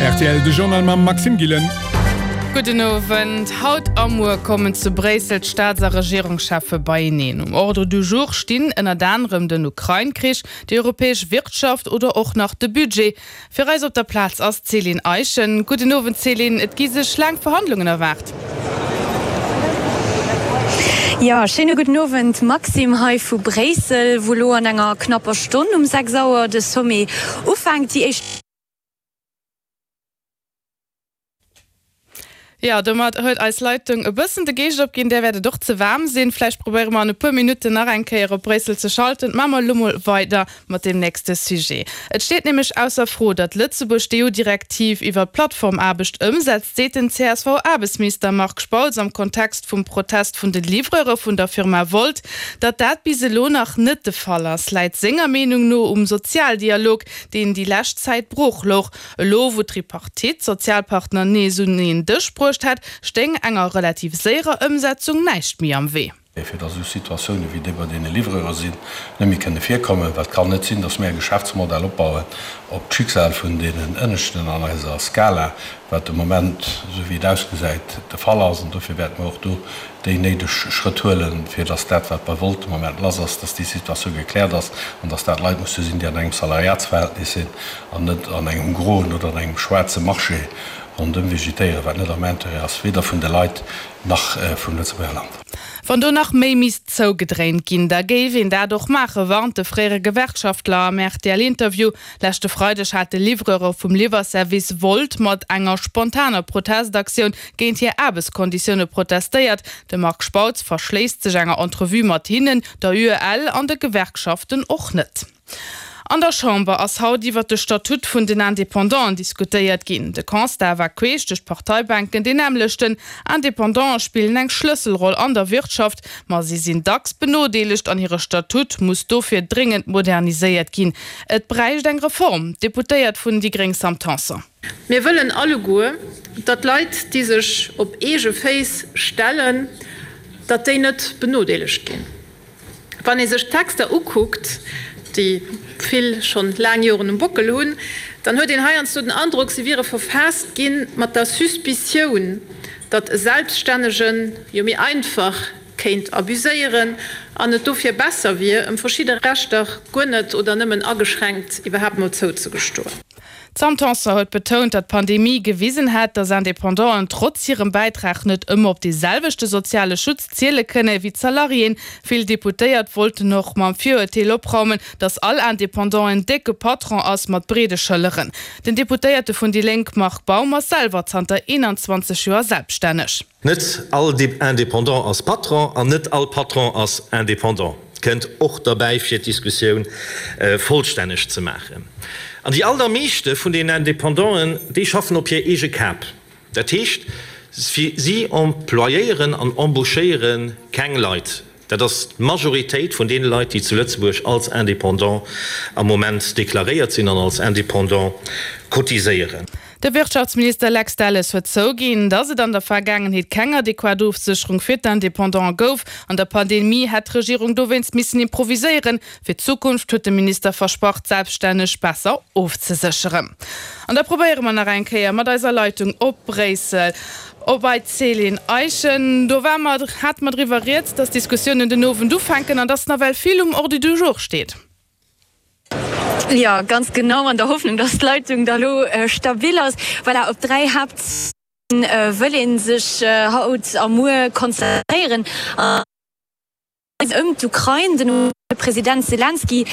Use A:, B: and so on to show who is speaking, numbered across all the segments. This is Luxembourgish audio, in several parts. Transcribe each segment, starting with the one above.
A: Rtl, de Journal mam Maxime Gillen.
B: Gudden Owend. Haut a muer kommen zu Bréissel d'Staats a Regierungscheffe beieneen. Um Ordre du jour stinn ënnert anerem den Ukrain-Krich, déi europäesch Wirtschaft oder och nach de Budget. Fir eis op der Plaz ass d'Céline Eischen. Gudden Owend Céline, et gi sech laang Verhandlungen erwaart.
C: Jo, schéine gudden Owend Maxime, hei vu Bréissel, wou elo an enger knapper Stonn um 6 Auer de Sommet ufänkt. Déi éischt.
B: Jo, domat huet eis Leitung e bëssen de Geescht opginn. Där wäert et och ze waarm sinn. Vläicht probéiere mer an e puer Minutten nach eng Kéier op Bréissel ze schalten. Maache mer elo mol weider mat deem nächste Sujet. Et steet nämlech ausser Fro, datt Lëtzebuerg d'EU-Direktiv iwwer d'Plattformaarbecht ëmsetzt, seet den CSV-Aarbechtsminister Marc Spautz am Kontext vum Protest vun de Livreure vun der Firma Wolt. Datt dat bis elo nach net de Fall ass, läit senger Meenung no um Sozialdialog, deen déi lescht Zäit brooch louch. Elo wou d'Tripartite d'Sozialpartner nees un een Dësch bruecht hätt, stéing enger relativ séierer Ëmsetzung näischt méi am Wee.
D: Fir datt esou Situatioune wéi déi bei deene Livreure sinn, net méi kënne virkommen. Well et kann net sinn, datt mir e Geschäftsmodell opbauen op d'Schicksal vun deenen Ënneschten an eiser Skala, wat de Moment, esou wéi et ausgesäit, de Fall ass. An dofir wäerte mer och do déi néideg Schrëtt huelen, fir datt dat, wat bei Wolt de Moment lass ass, datt déi Situatioun gekläert ass an datt dat Leit musse sinn, déi an engem Salariatsverhältnis sinn an net an engem groen oder an engem schwaarze Marché rondëm vegetéieren, wat net am Intérêt ass, weder vun de Leit nach vum Lëtzebuerger Land.
B: Wann do nach méi misst zougedréint ginn, da géif een dat och maachen, warnt de fréiere Gewerkschaftler am RTL-Interview. Leschte Freideg hate Livreure vum Liwwerservice Wolt mat enger spontaner Protestaktioun géint hir Aarbechtskonditioune protestéiert. De Marc Spautz verschléisst sech enger Entrevue mat hinnen, der UEL an de Gewerkschaften och net. An der Chamber ass haut iwwert de Statut vun den Independanten diskutéiert ginn. De Constat war queesch duerch d'Parteibänken deen nämmlechten, Independanten spillen eng Schlësselroll an der Wirtschaft, ma si sinn dacks benodeelegt an hire Statut muss dofir dréngend moderniséiert ginn. Et bräicht eng Reform. D'Deputéiert vun déi gréng Sam Tanson.
E: Mir wëllen alleguer, datt Leit, déi sech op eege Féiss stellen, datt déi net benodeelegt ginn. Wann ee sech d'Texter ukuckt, déi vill schonn laang Joren um Bockel hunn, dann huet een heiansdo den Androck, se wiere verfaasst gi mat der Suspicioun, datt e Selbststännegen jo méi einfach kéint abuséieren an et dofir besser wier, ëm verschidde Rechter guer net oder nëmmen ageschränkt iwwerhaapt mol zouzegestoen.
B: D'Sam Tanson huet betount, datt d'Pandemie gewisen hätt, datt Independanten trotz hirem Bäitrag net ëmmer op dee selwechte soziale Schutz ziele kënne wéi d'Salariéen. Vill Deputéiert wollten och mam Virurteel opraumen, datt all Independant en décke Patron ass mat breede Schëlleren. Den Deputéierte vun déi Lénk Marc Baum ass selwer zanter 21 Joer selbststänneg.
F: Net all Indépendant ass Patron an net all Patron ass Indépendant, kënnt och derbäi fir d'Diskussioun vollstänneg ze maachen. An déi allermeeschte vun den Indépendanten, déi schaffen op hir eege Kap. Dat heescht, si employéieren an embauchéiere keng Leit. Dat ass d'Majoritéit vun deene Leit, déi zu Lëtzebuerg als Indépendant am Moment deklaréiert sinn an als Indépendant cotiséieren.
B: De Wirtschaftsminister Lex Delles huet zouginn, datt et an der Vergaangenheet keng adequat Ofsécherung fir d'Indépendanten gouf. An der Pandemie hätt d'Regierung dowéinst missen improviséieren. Fir d'Zukunft huet de Minister versprach, d'Selbststänneg besser ofzesécheren. An da probéiere mer nach eng Kéier mat eiser Leitung op Bréissel. Op bei d'Céline Eischen. Do war mer, hate mer driwwer rieds, dass d'Diskussiounen den Owend ufänken an dass nawell vill um Ordre du jour steet.
C: Jo, ganz genau, an der Hoffnung, dass d'Leitung da lo stabil ass. Voilà, op 3 Haapttheme wëll ee sech haut a muer konzentréieren. Ëm d'Ukrain, den President Selenskyj.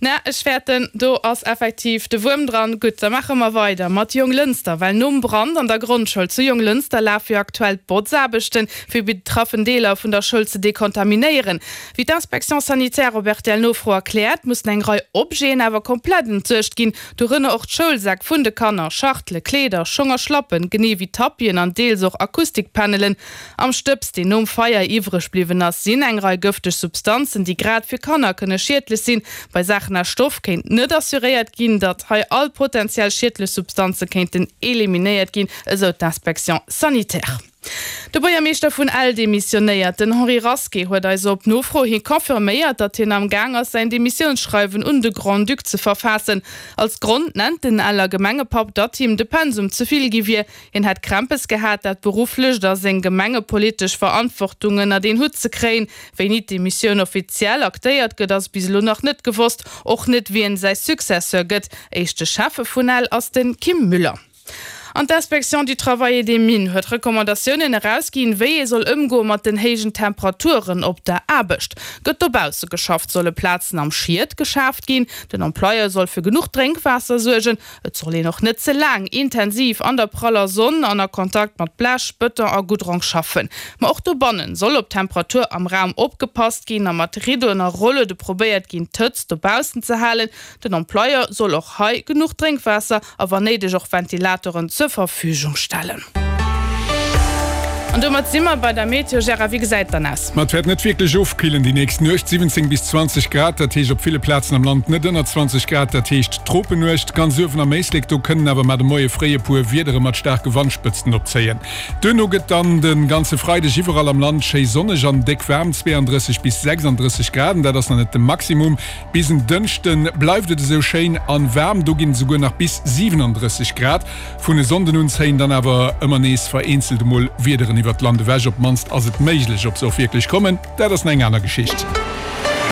B: Na, ech fäerten, do ass effektiv de Wuerm dran. Gutt, da maache mer weider mat Jonglënster, well nom Brand an der Grondschoul zu Jonglënster lafe jo aktuell d'Botzaarbechten, fir betraffen Deeler vun der Schoul ze dekontaminéieren. Wéi d'Inspection sanitaire op RTL-Nofro erkläert, mussen eng Rei Objeten awer komplett entsuergt ginn, dorënner och d'Schoulsäck vun de Kanner, Schachtele, Kleeder, Schong a Schlappen, genee wéi Tapien an deels och Akustikpanelen. Am Stëbs, deen nom Feier iwwreg bliwwen ass, sinn eng Rei gëfteg Substanzen, déi grad fir Kanner kënne schiedlech sinn. Bei Saachen aus Stoff kéint net assuréiert ginn, datt hei all potentiell schiedlech Substanze kéinten eliminéiert ginn, esou d'Inspection sanitaire. De Buergermeeschter vun Ell demissionéiert. Den Henri Rasqué huet eis op Nofro hi confirméiert, datt hien am Gaang ass, säin Demissiounsschreiwen un de Grand-Duc ze verfaassen. Als Grond nennt den Eller Gemengepapp, datt him de Pensum ze vill gi wier. Hien hätt Krämpes gehat, dat berufflecht a seng gemengepolitesch Verantwortung ënnert een Hutt ze kréien. Wéini d'Demissioun offiziell aktéiert gëtt, ass bis elo nach net gewosst. Och net, wien säi Successeur gëtt. Éischte Schäffe vun Ell ass de Kim Müller. An d'Inspection du Travail et des Mines huet Recommandatiounen erausginn, wéi ee soll ëmgoe mat den héijen Temperaturen op der Aarbecht. Gëtt dobausse geschafft, solle Plazen am Schiet geschaaft ginn. Den Employeur soll fir genuch Drénkwaasser suergen. Et soll een och net ze laang intensiv an der praller Sonn an a Kontakt mat Blech, Bëton a Goudrong schaffen. Ma och dobannen soll op d'Temperatur am Raum opgepasst ginn a mat Riddoen a Rolluede probéiert ginn, d'Hëtzt dobaussen ze halen. Den Employeur soll och hei genuch Drénkwaasser a wann néideg och Ventilatoren zur Verfügung stellen. An domat si mer bei der Meteo. Gérard, wéi gesäit et dann aus?
A: Ma et wäert net wierklech ofkillen déi nächst Nuecht, 17 bis 20 Grad, dat heescht op ville Plazen am Land net ënner 20 Grad, dat heescht Tropennuecht. Ganz uewen am Éislek, do kënnen awer mar de Moie fréi e puer Wiedere mat staarke Wandspëtzten opzéien. Duerno gëtt dann de ganze Freideg iwwerall am Land schéi sonneg an déck waarm, 32 bis 36 Grad, an dat ass nach net de Maximum. Bis en Dënschde bleift et esou schéin an waarm, do ginn et esouguer nach bis 37 Grad. Vun e Sonnden un zéien dann awer ëmmer nees vereenzelt emol Wiederen iwwert d'Land ewech, op d'mannst ass et méiglech. Ob se och wierklech kommen, dat ass nach eng aner Geschicht.